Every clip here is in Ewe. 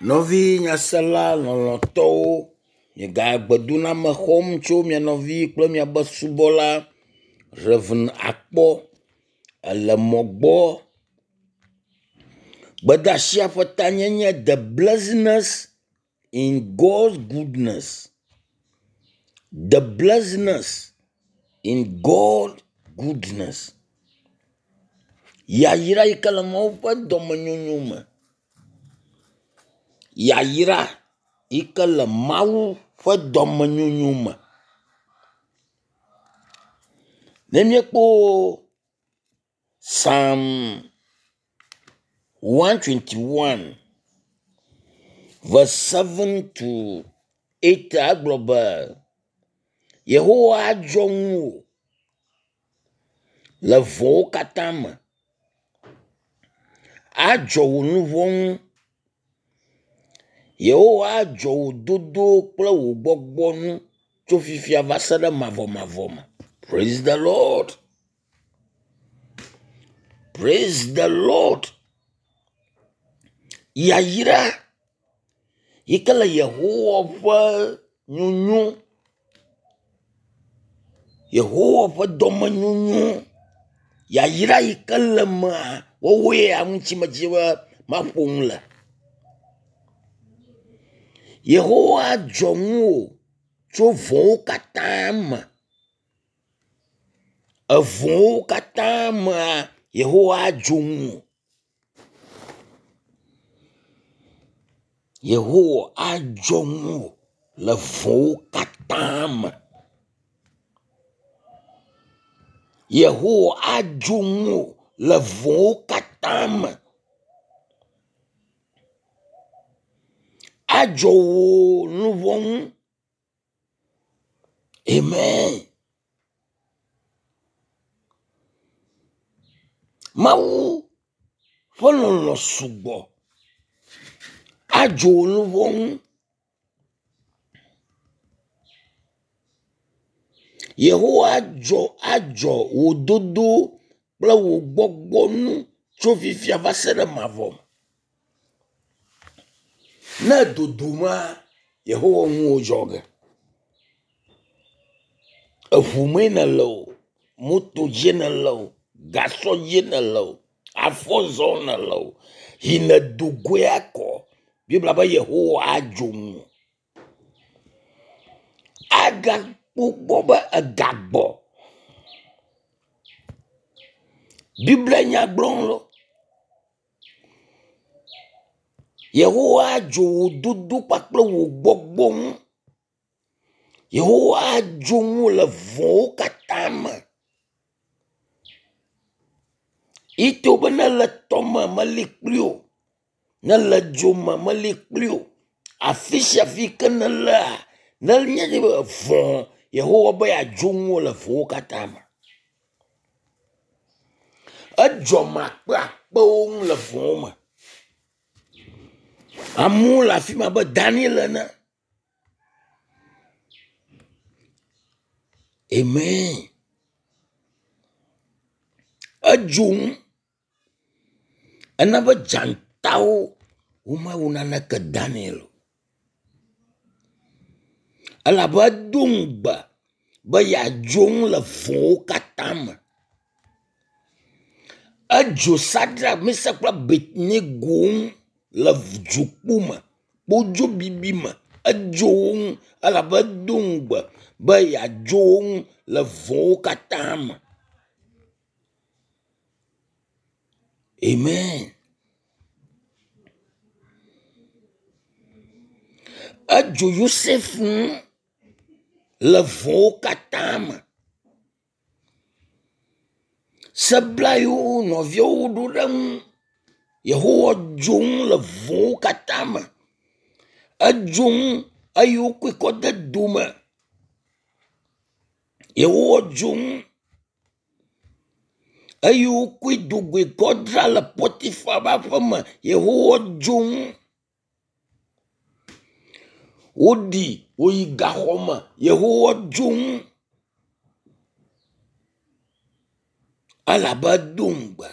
Nɔvi nyasela lɔlɔ̃tɔwo, miega gbedoname xɔm tso mia nɔvi kple miabe subɔla Rev. Akpɔ ele mɔ gbɔ. Gbedeasia ƒe tanye nye the blessiness in God's goodness. The blessiness in God goodness. Yayra yi ke le Mawu ƒe dɔmenyonyo me. Yayra yi ke le Mawu ƒe dɔmenyonyo me. Ne míekpɔ Psalm 121 verse 7 to 8 egblɔ be Yehowa adzɔ ŋuwò le vɔ̃wo katã me. Adzɔ wò nu vɔ̃ ŋu. Yehowa adzɔ wò dodo kple wò gbɔgbɔ ŋu tso fifia va se ɖe mavɔmavɔ me. Praise the Lord. Praise the Lord. Yayra yi ke le Yehowa ƒe nyonyo, Yehowa ƒe dɔmenyonyo, yayra yi ke le mea, woawoe ya ŋuti medzi be maƒo nu le. Yehowa dzɔ ŋuwò tso vɔ̃wo katã me. Evɔ̃wo katã mea, Yehowa adzo ŋuwò. Yehowa adzɔ ŋuwò le vɔ̃wo katã me. Yehowa adzo ŋuwò le vɔ̃wo katã me. Adzɔ wò luʋɔ ŋu. Amen. Mawu ƒe lɔlɔ̃ sugbɔ. Adzo wò luʋɔ ŋu. Yehowa adzɔ adzɔ wò dodo kple wò gbɔgbɔ ŋu tso fifia va se ɖe mavɔ. Ne dodoma, Yehowa ŋuwò dzɔ ge. Eŋu mee nèle o, moto dzie nèle o, gasɔ dzie nèle o, afɔ zɔm nèle o, yi nèdo goe akɔ. Biblia be Yehowa adzo ŋuwò. Agakpɔ gbɔ be egagbɔ. Biblia nya gblɔm lo. Yehowa adzo wò dodo kpakple wò gbɔgbɔ ŋu. Yehowa adzo ŋuwò le vɔ̃wo katã me. Ito be ne le tɔme meli kpli wò, ne le dzo me meli kpli wò. Afi sia afi ke nelea, nenye be vɔ̃ Yehowa be yeadzo ŋuwò le vɔ̃wo katã me. Edzɔ ame akpeakpewo ŋu le vɔ̃wo me. Amewo le afi ma abe Daniel ene. Amen. Edzo ŋu. Ena be dzatawo womewɔ naneke Daniel o. Elabe edo ŋugbe be yeadzo ŋu le vɔ̃wo katã me. Edzo Sadrak, Mesak kple Abednego ŋu le dzokpo me, kpodzo bibi me. Edzo wo ŋu elabe edo ŋugbe be yeadzo wo ŋu le vɔ̃wo katã me. Amen. Edzo Yosef ŋu le vɔ̃wo katã me. Sebla yiwo nɔviawo ɖo ɖe eŋu. Yehowa dzo ŋu le vɔ̃wo katã me. Edzo ŋu eye wokɔe kɔ de dome. Yehowa dzo ŋu eye wokɔe do goe kɔ dzra le Potifa ƒe aƒe me. Yehowa dzo ŋu. Woɖi woyi gaxɔ me. Yehowa dzo ŋu. Elabe edo ŋugbe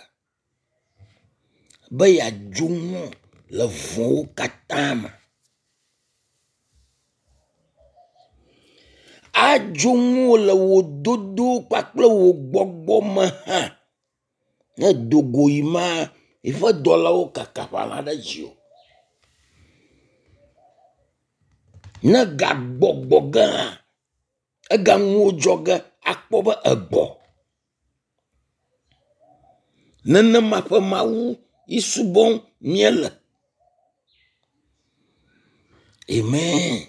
be yeadzo ŋu. le vɔ̃wo katã me. Adzo ŋuwò le wò dodo kpakple wò gbɔgbɔ me hã. Ne èdo go yi ma, eƒe dɔlawo kaka ƒala ɖe dziwò. Ne gagbɔgbɔ ge hã, egaŋuwò dzɔ ge akpɔ be egbɔ. Nenema ƒe Mawu yi subɔm míele. Amen.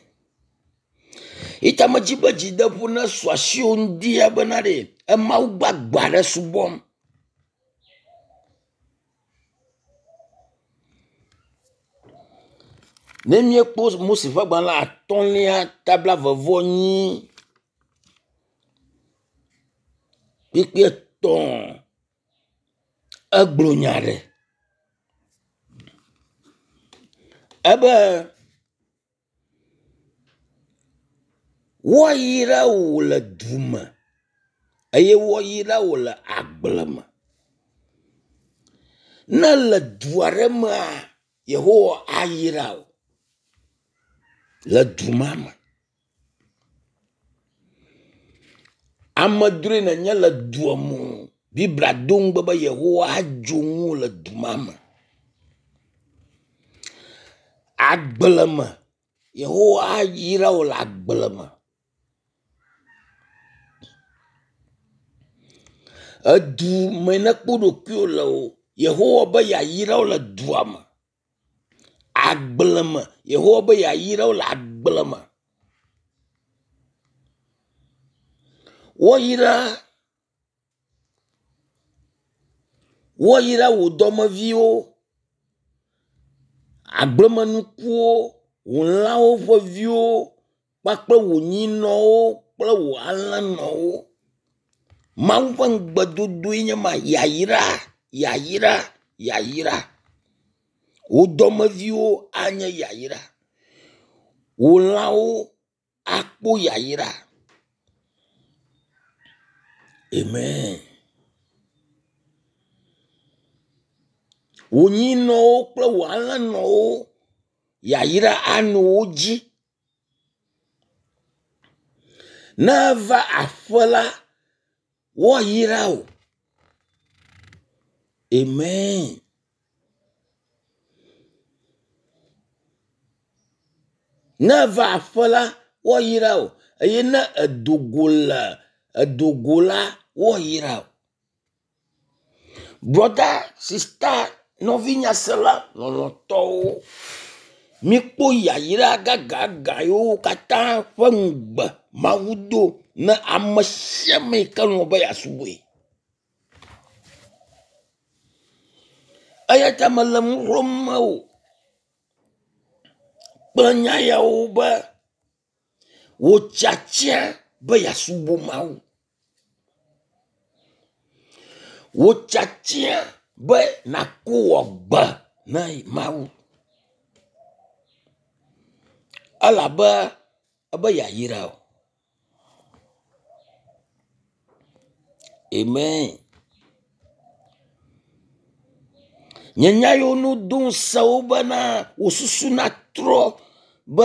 Yi ta medzi be dzideƒo nesu asiwò ŋdi ya bena ɖe emawu gbagbe aɖe subɔm. Ne míekpɔ Mose ƒe agbalẽ atɔ̃lia ta blaeve-vɔ-enyi kpukpui etɔ̃ egblɔ nya ɖe. Ebe woayra wò le du me eye woayra wò le agble me. Ne le du aɖe mea, Yehowa ayra wò le du ma me. Amedzroe nènye le dua me o. Biblia do ŋugbe be Yehowa adzo ŋuwò le du ma me. Agble me, Yehowa ayra wò le agble me. Edu me nekpɔ ɖokuiwò le o, Yehowa be yeayra wò le dua me. Agble me, Yehowa be yeayra wò le agble me. Woayra woayra wò dɔmeviwo, agblemenukuwo, wò lãwo ƒe viwo kpakple wò nyinɔwo kple wò alẽnɔwo. Mawu ƒe ŋugbedodoe nye ma, yayra, yayra, yayra. Wò dɔmeviwo anye yayra. Wò lãwo akpɔ yayra. Amen. Wò nyinɔwo kple wò alẽnɔwo yayra anɔ wo dzi. Ne eva aƒe la, woayra wò. Amen. Ne eva aƒe la, woayra wò eye ne edo go le edo go la, woayra wò. Brɔda, sista, nɔvi nyasela lɔlɔ̃tɔwo, míkpɔ yayra gãgãgã yiwo katã ƒe ŋugbe Mawu do ne ame sia ame yi ke lɔ̃ be yeasubɔe. Eya ta mele nu xlɔ̃m mewò kple nya yawo be wò tiatia be yeasubɔ Mawu. Wò tiatia be nàko wò agbe na Mawu. Elabe ebe yeayra wò. Amen. Nye nya yiwo nu do ŋusẽ wo bena wò susu natrɔ be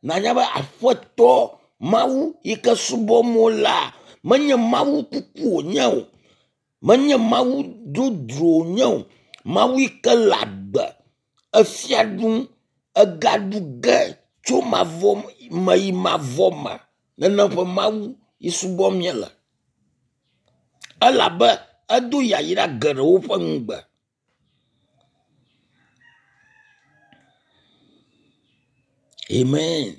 nànya be Aƒetɔ Mawu yi ke subɔm wolea, menye Mawu kuku wònye o. Menye Mawu dzodzro wònye o. Mawu yi ke le agbe, efia ɖum, egaɖu ge tso mavɔ me yi mavɔ me. Nenem ƒe Mawu yi subɔm míele. Elabe edo yayra geɖewo ƒe ŋugbe. Amen.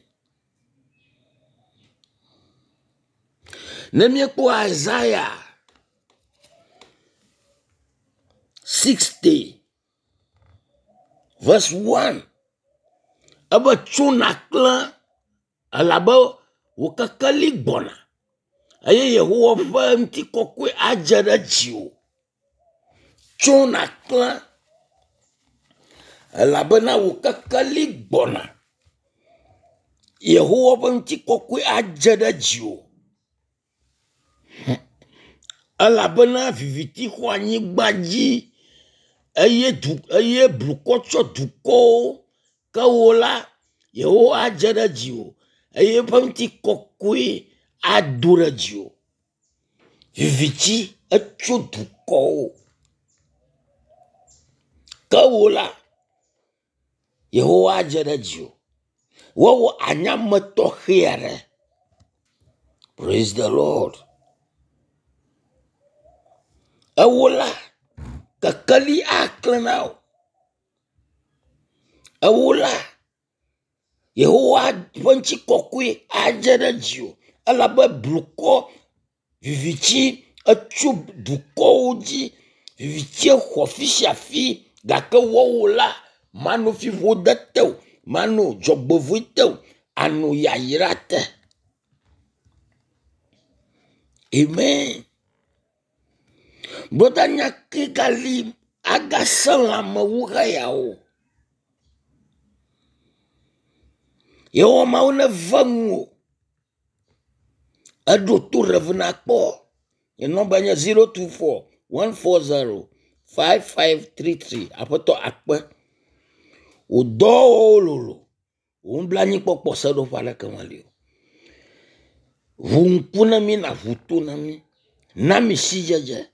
Ne míekpɔ Isaiah 60 verse 1 ebe tso nàklẽ elabe wò kekeli gbɔna eye Yehowa ƒe ŋutikɔkɔe adze ɖe dziwò. Tso nàklẽ elabena wò kekeli gbɔna. Yehowa ƒe ŋutikɔkɔe adze ɖe dziwò. Elabena viviti xɔ anyigba dzi. Eye du eye blukɔ tsyɔ dukɔwo. Ke wò la, Yehowa adze ɖe dziwò eye eƒe ŋutikɔkɔe ado ɖe dziwò. Viviti etso dukɔwo. Ke wò la, Yehowa adze ɖe dziwò. Woawɔ anye ame tɔxɛ aɖe. Praise the Lord. Ewo la, kekeli aklẽ na wò. Ewo la, Yehowa ƒe ŋutikɔkɔe adze ɖe dziwò elabe blukɔ viviti etso dukɔwo dzi. Vivitie xɔ afi sia afi gake woawo la, mano fiƒode te o, mano dzɔgbevɔ̃e te o, ano yayra te. Amen. Brɔda nya ke gali agasẽ lãme wu xeyawo. Yehowa Mawu neve ŋuwò. Eɖo to ɖevi nakpɔ. Nye nɔmba nye 024 140 5533. Aƒetɔ akpe. Wò dɔwɔwɔwo lolo. Wò nublanuikpɔkpɔ seɖoƒe aɖeke meli o. Ʋu ŋku na mí nàʋu to na mí. Na mí sidzedze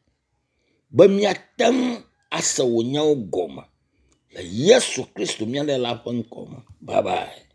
be míate ŋu ase wò nyawo gɔme le Yesu Kristo mía Ɖela ƒe ŋkɔ me. Bye bye.